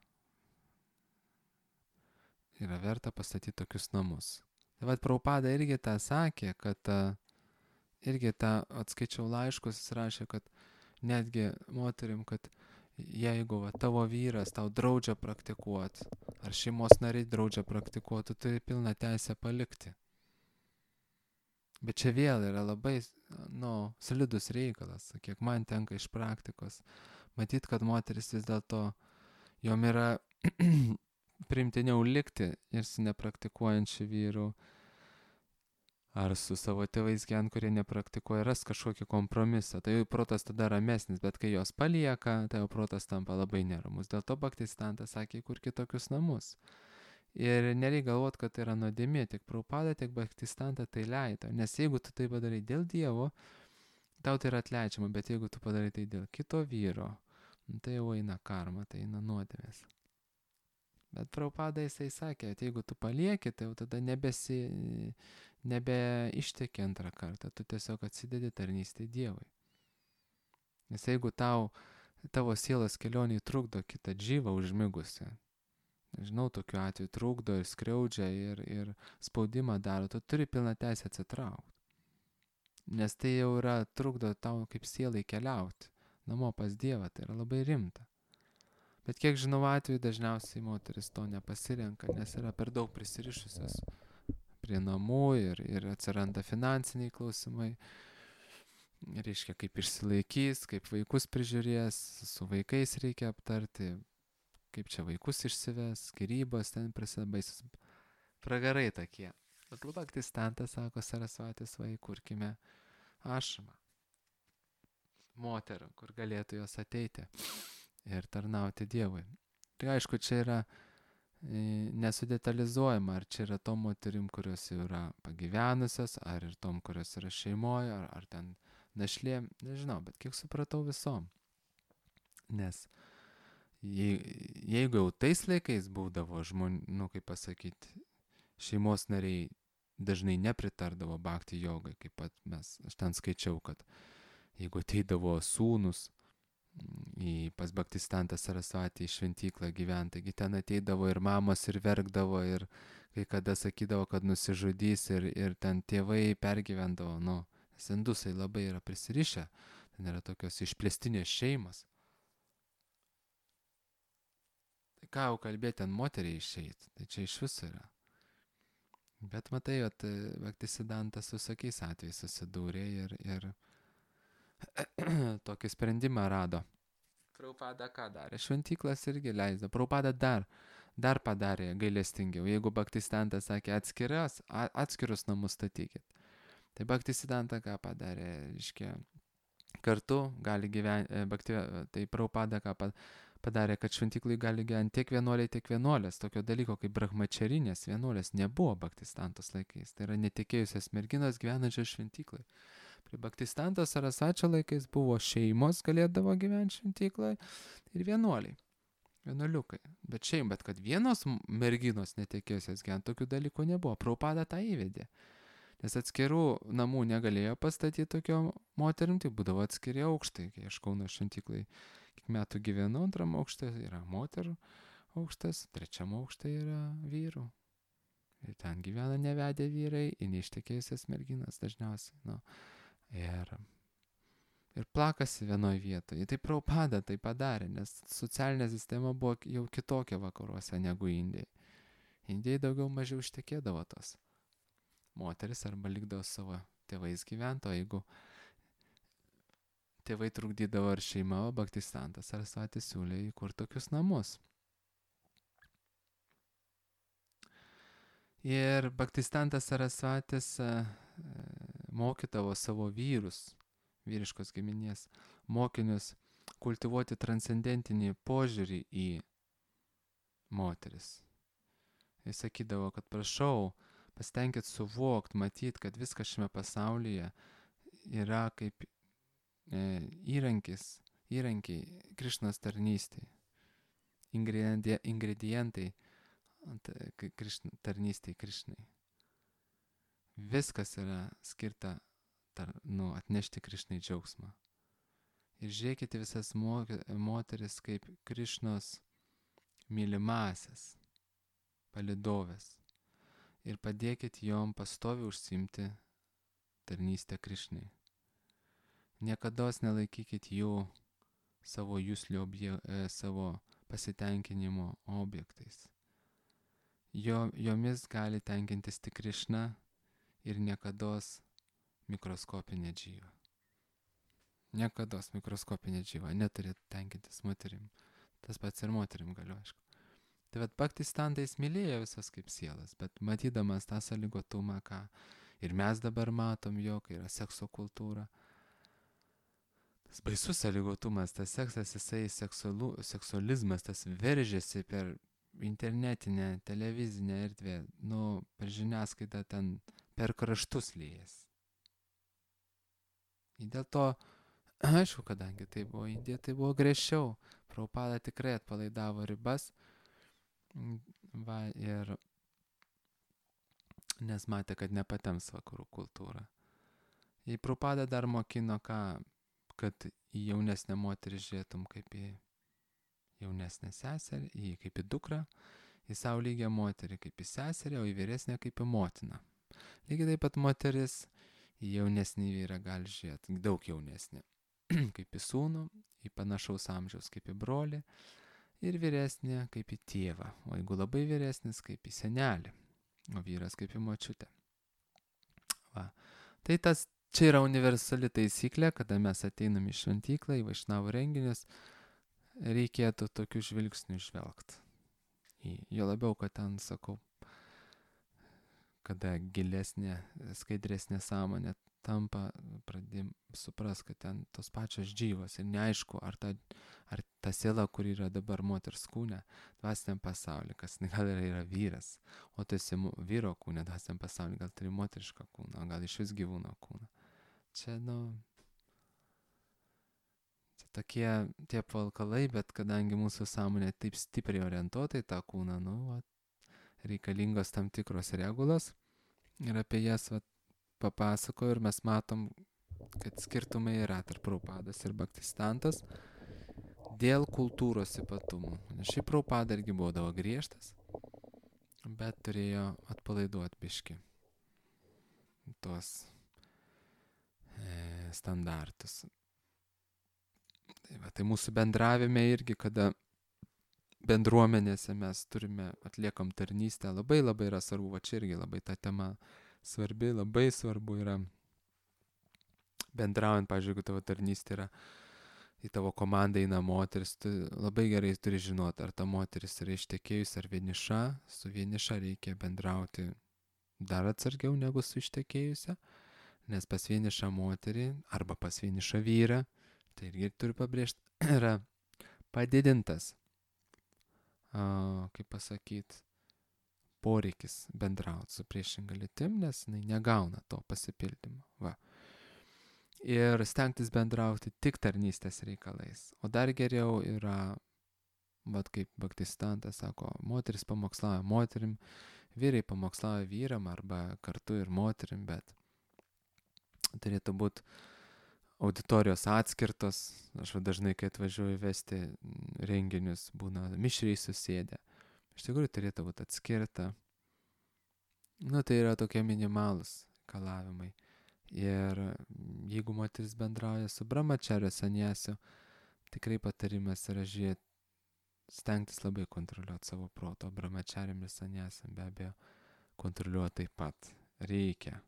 yra verta pastatyti tokius namus. Tai vad Prabhupada irgi tą sakė, kad irgi tą atskaičiau laiškus, jis rašė, kad netgi moterim, kad jeigu tavo vyras tau draudžia praktikuoti, ar šeimos nariai draudžia praktikuoti, tu turi pilną teisę palikti. Bet čia vėl yra labai, slidus reikalas, kiek man tenka iš praktikos. Matyt, kad moteris vis dėlto, jom yra priimtiniau likti ir su nepraktikuojančiu vyru, ar su savo tėvais kurie nepraktikuoja, ras kažkokį kompromisą. Tai jau protas tada ramesnis, bet kai jos palieka, tai jau protas tampa labai neramus. Dėl to Bhaktistantas sakė, kur kitokius namus. Ir nereikia galvoti, kad tai yra nuodėmė, tiek Prabhupada, tiek Bhaktistanta tai leido. Nes jeigu tu tai padarai dėl Dievo, tau tai yra atleidžiama, bet jeigu tu padarai tai dėl kito vyro, tai jau eina karma, tai eina nuodėmės. Bet Prabhupada jisai sakė, kad jeigu tu palieki, tai jau tada nebeišteki antrą kartą, tu tiesiog atsidedi tarnystę Dievui. Nes jeigu tavo sielos kelionį trukdo kitą džyvą užmigusią, žinau, tokiu atveju trukdo ir skriaudžia ir spaudimą daro, tu turi pilną teisę atsitraukti. Nes tai jau trukdo tau kaip sielai keliauti namo pas Dievą, tai yra labai rimta. Bet kiek žinau atveju, dažniausiai moteris to nepasirenka, nes yra per daug prisirišusios prie namų ir atsiranda finansiniai klausimai. Reiškia, kaip išsilaikys, kaip vaikus prižiūrės, su vaikais reikia aptarti, kaip čia vaikus išsives, skyrybos ten prasideda baisus pragarai tokie. Bet Bhaktistantas sako, Sarasvatės, va, įkurkime ašramą moterų, kur galėtų jos ateiti ir tarnauti Dievui. Tai aišku, čia yra nesudetalizuojama, ar čia yra tom moterim, kurios jau yra pagyvenusios, ar ir tom, kurios yra šeimoje, ar ten našlėm, nežinau, bet kiek supratau visom. Nes jeigu jau tais laikais būdavo žmonių, kaip pasakyti, šeimos nariai dažnai nepritardavo bhakti jogai, kaip pat aš ten skaičiau, kad jeigu ateidavo sūnus pas Bhaktistantą Sarasvatį į šventyklą gyventi, taigi ten ateidavo ir mamos ir verkdavo ir kai kada sakydavo, kad nusižudys ir ten tėvai pergyvendavo, nes indusai labai yra prisirišę, ten yra tokios išplėstinės šeimos. Tai ką jau kalbėti, ten moteriai išeit, tai čia iš viso yra. Bet matai, Bhaktisidantas su visokiais atvejais susidūrė ir tokį sprendimą rado. Prabhupada ką darė? Šventyklas irgi leisdo. Prabhupada dar padarė gailestingiau. Jeigu Bhaktisidantas sakė atskirus namus statykit. Tai Bhaktisidanta ką padarė? Reiškia, kartu gali gyventi, tai Prabhupada ką padarė, kad šventyklai gali gyventi tiek vienuoliai, tiek vienuolės. Tokio dalyko kaip brahmačarinės vienuolės nebuvo Bhaktistantos laikais. Tai yra netikėjusios merginos gyvenančios šventyklai. Prie Bhaktistanto Sarasvačio laikais buvo šeimos, galėdavo gyventi šventykloje ir vienuoliai, vienuoliukai. Bet kad vienos merginos netekėjusios gyventi, tokių dalykų nebuvo. Prabhupada tą įvedė. Nes atskirų namų negalėjo pastatyti tokio moterim, tai būdavo atskiri aukštai. Kai aš Kauno šventyklai kiek metų gyvenau, antram aukšte yra moterų aukštas, trečiam aukšte yra vyrų. Ir ten gyvena nevedę vyrai ir neištekėjusias merginas dažniausiai. Ir plakasi vienoje vietoje. Tai Prabhupada tai padarė, nes socialinė sistema buvo jau kitokia vakaruose negu Indijai. Indijai daugiau mažiau ištekėdavo tos moteris arba likdavo savo tėvais gyventi, o jeigu tėvai trukdydavo ar šeima, o Bhaktistantas Sarasvatis siūlė įkurti tokius namus. Ir Bhaktistantas Sarasvatis mokydavo savo vyrus, vyriškos giminės, mokinius kultivuoti transcendentinį požiūrį į moteris. Jis sakydavo, kad prašau, pasitenkit suvokti, matyti, kad viskas šiame pasaulyje yra kaip įrankiai Krišnos tarnystei, ingredientai tarnystei Krišnai. Viskas yra skirta atnešti Krišnai džiaugsmą. Ir žiūrėkite visas moteris kaip Krišnos mylimasias, palidovės. Ir padėkit jom pastoviai užsiimti tarnystę Krišnai. Niekados nelaikykit jų savo juslio savo pasitenkinimo objektais. Jomis gali tenkintis tik Krišna ir niekados mikroskopinė džyva. Niekados mikroskopinė džyva neturi tenkintis moterim. Tas pats ir moterim galiu, aišku. Tai vat Bhaktisiddhanta jis mylėjo visas kaip sielas, bet matydamas tą sąlygotumą, ką ir mes dabar matom jo, kai yra sekso kultūra, tas baisus sąlygotumas, tas seksas, jisai seksualizmas, tas veržiasi per internetinę, televizinę erdvę, per žiniasklaidą ten per kraštus liejasi. Ir dėl to, aišku, kadangi tai buvo Indija, tai buvo griežčiau. Prabhupada tikrai atpalaidavo ribas, ir nes matė, kad nepatems vakarų kultūrą. Į Prabhupada dar mokino kad į jaunesnę moterį žiūrėtum kaip į jaunesnę seserį, kaip į dukrą, į savo lygią moterį kaip į seserį, o į vyresnę kaip į motiną. Lygiai taip pat moteris į jaunesnį vyrą gali žiūrėti, daug jaunesnį, kaip į sūnų, į panašaus amžiaus kaip į brolį, ir vyresnė kaip į tėvą, o jeigu labai vyresnis kaip į senelį, o vyras kaip į močiutę. Va. Tai čia yra universali taisyklė, kada mes ateinam į šventyklą, į vaišnavų renginius, reikėtų tokių žvilgsnių žvelgti. Jo labiau, kad ten, sakau, kada gilesnė, skaidresnė sąmonė tampa, pradėjom supras, kad ten tos pačios džyvos ir neaišku, ar ta siela, kur yra dabar moters kūne, dvasiniam pasaulyje, kas gal yra vyras, o tu esi vyro kūne, dvasiniam pasaulyje, gal turi moterišką kūną, gal iš vis gyvūno kūną. Čia, čia tokie tie apvalkalai, bet kadangi mūsų sąmonė taip stipriai orientuota į tą kūną, reikalingos tam tikros regulos ir apie jas papasakoju ir mes matom, kad skirtumai yra tarp Prabhupados ir Bhaktisiddhantos dėl kultūros ypatumų. Nes šiaip Prabhupada irgi būdavo griežtas, bet turėjo atpalaiduoti biškį tuos standartus. Tai mūsų bendravime irgi, kada bendruomenėse mes atliekam tarnystę, labai yra svarbu, čia irgi labai ta tema svarbi, labai svarbu yra bendraujant, pavyzdžiui, jeigu tavo tarnystė yra, į tavo komandą eina moteris, tu labai gerai turi žinoti, ar ta moteris yra ištekėjusi ar vieniša, su vieniša reikia bendrauti dar atsargiau negu su ištekėjusia, nes pas vienišą moterį arba pas vienišą vyrą, tai irgi turiu pabrėžti, yra padidintas, kaip pasakyti, poreikis bendrauti su priešinga lytim, nes jinai negauna to pasipildymo. Va. Ir stengtis bendrauti tik tarnystės reikalais. O dar geriau yra, kaip Bhaktisiddhanta sako, moteris pamokslauja moterim, vyrai pamokslauja vyram arba kartu ir moterim, bet turėtų būti auditorijos atskirtos. Aš dažnai, kai atvažiuoju vesti renginius, būna mišriai susėdę. Iš tikrųjų turėtų būti atskirta. Tai yra tokie minimalūs reikalavimai. Ir jeigu moteris bendrauja su brahmacharya sanyasiu, tikrai patarimas yra stengtis labai kontroliuoti savo proto. Brahmachariam ir sanyasiam be abejo kontroliuoti taip pat reikia.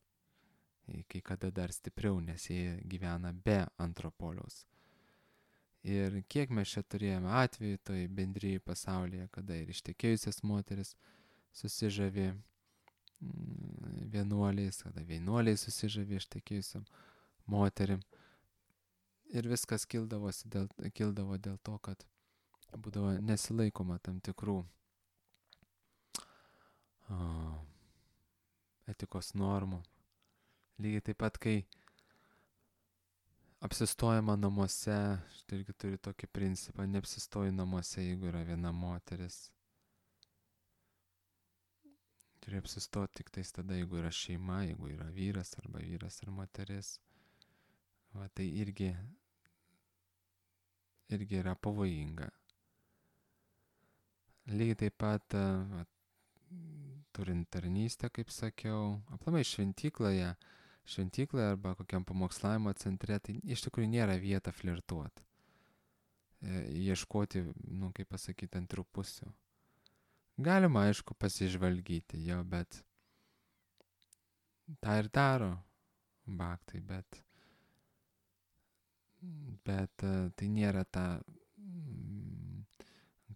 Kai kada dar stipriau, nes jie gyvena be antro poliaus. Ir kiek mes čia turėjome atvejų toj bendrijai pasaulyje, kada ir ištekėjusias moteris susižavė vienuoliais, kada vienuoliai susižavė ištekėjusiam moterim. Ir viskas kildavo dėl to, kad būdavo nesilaikoma tam tikrų etikos normų. Lygiai taip pat, kai apsistojama namuose, štai irgi turi tokį principą, neapsistoji namuose, jeigu yra viena moteris. Turi apsistoti tik tais tada, jeigu yra šeima, jeigu yra vyras arba vyras ir moteris. Va, tai irgi yra pavojinga. Lygiai taip pat, turint tarnystę, kaip sakiau, aplamai šventykloje arba kokiam pamokslavimo centre, tai iš tikrųjų nėra vieta flirtuoti. Ieškoti, kaip pasakyti, antrų pusių. Galima, aišku, pasižvalgyti jo, bet tą ir daro bhaktai, bet tai nėra ta,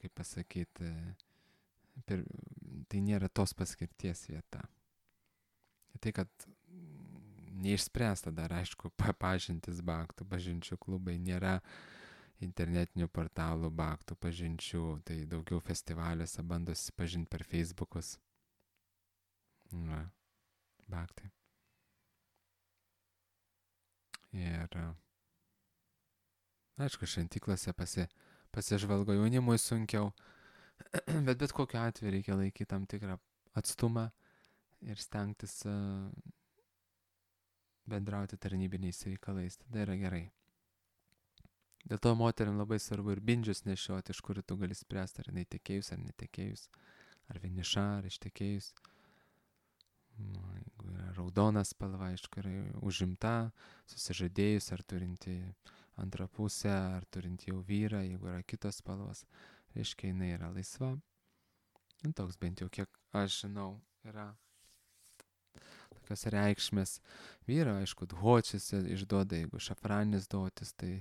kaip pasakyti, Tai nėra tos paskirties vieta. Tai, kad neišspręsta dar, aišku, pažintis bhaktų, pažinčių klubai, nėra internetinių portalų bhaktų pažinčių, tai daugiau festivaliuose bando susipažinti per Facebookus. Na, bhaktai. Ir, aišku, šventyklose pasižvalgo, jaunimui sunkiau, bet kokiu atveju reikia laikyti tam tikrą atstumą ir stengtis bendrauti tarnybiniais reikalais. Tada yra gerai. Dėl to moteriam labai svarbu ir bindžius nešioti, iš kur tu gali spręsti, ar jinai tekėjus ar netekėjus, ar vieniša, ar ištekėjus. Jeigu yra raudona spalva, aišku, yra užimta, susižadėjus, ar turinti antrą pusę, ar turinti jau vyrą, jeigu yra kitos spalvos, reiškia, jinai yra laisva. Toks bent jau, kiek aš žinau, yra tokios reikšmės. Vyra, aišku, dhočis išduoda, jeigu šafranis dhotis, tai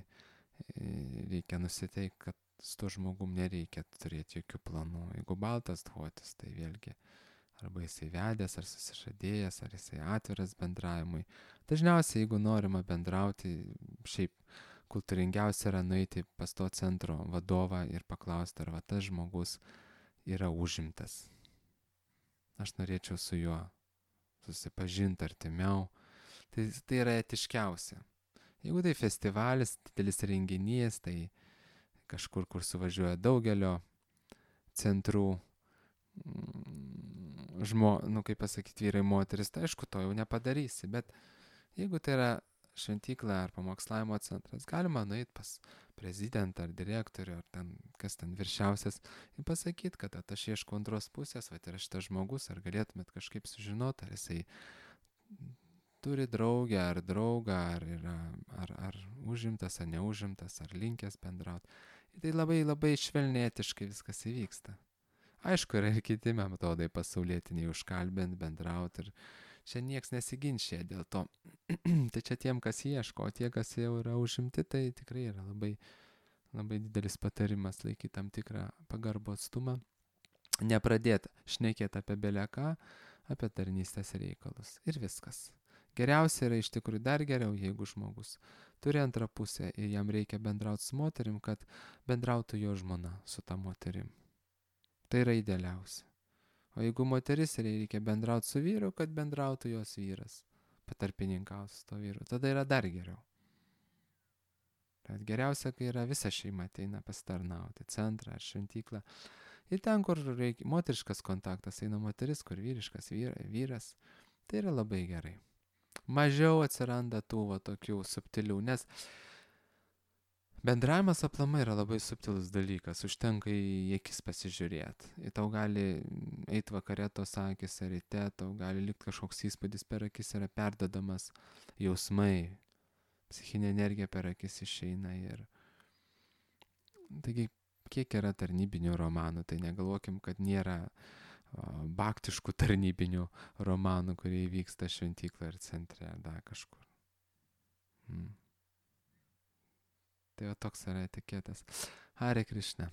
reikia nusiteikti, kad su tuo žmogum nereikia turėti jokių planų. Jeigu baltas dhotis, tai vėlgi arba jisai vedęs, ar susižadėjęs, ar jisai atviras bendravimui. Dažniausiai, jeigu norima bendrauti, šiaip kultūringiausia yra nueiti pas to centro vadovą ir paklausti, ar va tas žmogus yra užimtas. Aš norėčiau su juo susipažinti artimiau. Tai yra etiškiausia. Jeigu tai festivalis, didelis renginys, tai kažkur, kur suvažiuoja daugelio centrų kaip pasakyti, vyrai, moteris, tai aišku, to jau nepadarysi. Bet jeigu tai yra šventykla ar pamokslavimo centras, galima nueiti pas prezidentą ar direktorių, ar ten, kas ten viršiausias, ir pasakyti, kad aš ieškau antros pusės, va, yra šitas žmogus, ar galėtumėt kažkaip sužinoti, ar jisai turi draugę ar draugą, ar užimtas, ar neužimtas, ar linkęs bendrauti. Tai labai labai švelnėtiškai viskas įvyksta. Aišku, yra ir kiti metodai pasaulietiniai užkalbint, bendrauti, ir čia nieks nesiginčia dėl to. Tai čia tiem, kas ieško, o tie, kas jau yra užimti, tai tikrai yra labai, labai didelis patarimas laikyti tam tikrą pagarbų atstumą, nepradėti šnekėti apie beleką, apie tarnystės reikalus ir viskas. Geriausia yra iš tikrųjų dar geriau, jeigu žmogus turi antrą pusę ir jam reikia bendrauti su moterim, kad bendrautų jo žmona su ta moterim. Tai yra idealiausia. O jeigu moteris reikia bendrauti su vyru, kad bendrautų jos vyras, patarpininkaus su to vyru, tada yra dar geriau. Bet geriausia, kai yra visa šeima ateina pasitarnauti, centrą ar šventyklą. Ir ten, kur reikia moteriškas kontaktas, eina moteris, kur vyriškas vyras, tai yra labai gerai. Mažiau atsiranda tų tokių subtilių, nes bendravimas aplamai yra labai subtilus dalykas, užtenka į akis pasižiūrėti. Ir tau gali eiti vakare tos akis, ar ryte, tau gali likti kažkoks įspūdis per akis, yra perdodamas jausmai, psichinė energija per akis išeina. Ir taigi, kiek yra tarnybinių romanų, tai negalvokim, kad nėra bhaktiškų tarnybinių romanų, kurie vyksta šventykloje ar centre, ar dar kažkur. Tai toks yra etiketas. Hare Krishna.